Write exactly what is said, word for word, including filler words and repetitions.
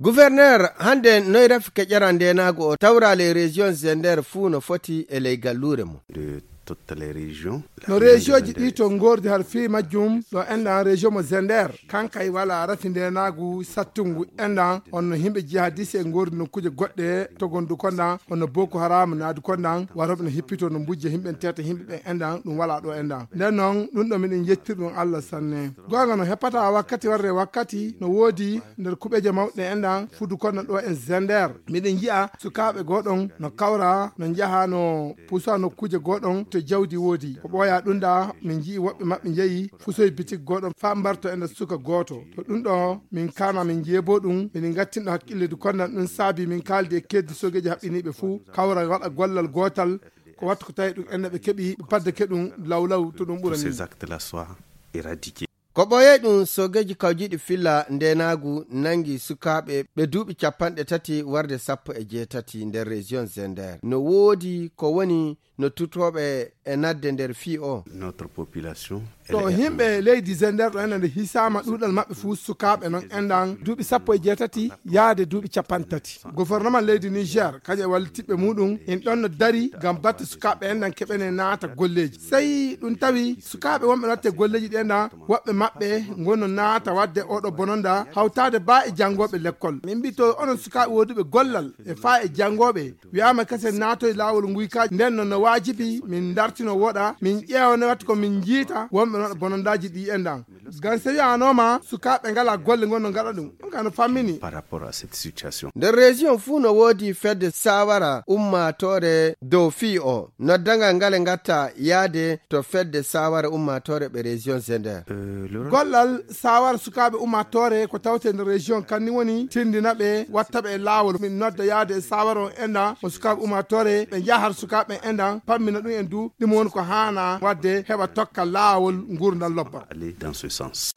Gouverneur, hannde noy rafi keƴaran ndeenaagu o tawra les régions Zender fuu no foti e ley galluure mum? De toutes les régions. No région ji ɗi to ngoordi har fii majjum ɗo enɗan région mo Zender, kankay wala rafi ndeenaagu sattungu enɗan, honno himɓe jihadiste e ngoordi nokkuuje goɗɗe to gondu konɗan, honno Boko Haram naadu konɗan, warooɓe no hippito no mbujja himɓe teta himɓe ɓen enɗan, ɗum wala ɗo enɗan. Nden non, ɗum ɗo miɗen yettiri ɗum Allah sanne. Goonga no heppata wakkati warde wakkati, no woodi nder kuɓeeje mawɗe enɗan, fudu konɗan ɗo en Zender. Miɗen yi'a sukaaɓe gooɗon no kawra, no njaha, no pusa nokkuuje gooɗon to jawdi woodi. Ko ɓooya ɗum da, min nji'i woɓɓe maɓɓe njeyi fusoy bitik gooɗon faa mbarto enɗan suka gooto. To ɗum ɗo, min kaana min jeebo ɗum, miɗen ngattinɗo hakkilleeji konɗan ɗum saabi min kaaldi e keddi soogeeji haɓɓiniiɓe fuu, kawra waɗa gollal gootal, ko wattu ko tawi ɗum enɗan ɓe keɓi, ɓe paddake ɗum lawlaw to ɗum ɓurani. Ces actes-là soient éradiqués. Ko ɓooyey ɗum soogeeji kawjiiɗi filla ndeenaagu nangi sukaaɓe ɓe duuɓi capanɗe tati warde sappo e jeetati nder région Zender. No woodi ko woni no tutooɓe e nadde nder fii o. Notre population, to elle est himɓe leydi Zender ɗo enɗan nde hisaama ɗuuɗal maɓɓe fuu sukaaɓe non enɗan duuɓi sappo e jeetati yaade duuɓi capanɗe tati. Gouvernement leydi Niger, kañum e wallitiɓɓe muɗum, en ɗon no dari ngam batte sukaaɓe enɗan keɓene naata golleeji. Sey ɗum tawi sukaaɓe wonɓe no watte golleeji ɗi enɗan, woɓɓe maɓɓe ngon no naata wadde oɗo bononda hawtaade baa e janngooɓe lekkol. Min mbi to onon sukaaɓe wooduɓe gollal e faa e janngooɓe, wi'aama kasen naatoy laawol nguykaaji, nden non no waajibi min dartino woɗa, min ƴeewa no watta ko min njiita wonɓe no waɗa bonondaaji ɗi enɗan. Ngam so wi'aanooma sukaaɓe ngalaa golle ngon no ngaɗa ɗum, ɗum ka no fammini. Par rapport à cette situation. Nder région fuu no woodi fedde saawara ummaatoore dow fii o. Noddangal ngale ngatta yaade to fedde saawara ummaatoore ɓe région Zender. Euh, le rôle Gollal saawara sukaaɓe ummaatoore ko tawte nder région kan ni woni tindina ɓe, watta ɓe e laawol. Min nodda yaade e saawara on enɗan mo sukaaɓe ummaatoore ɓe njaha har sukaaɓe enɗan pammina ɗum en du ɗum woni ko haana wadde heɓa tokka laawol ngurndan lobba. Aller dans ce sens.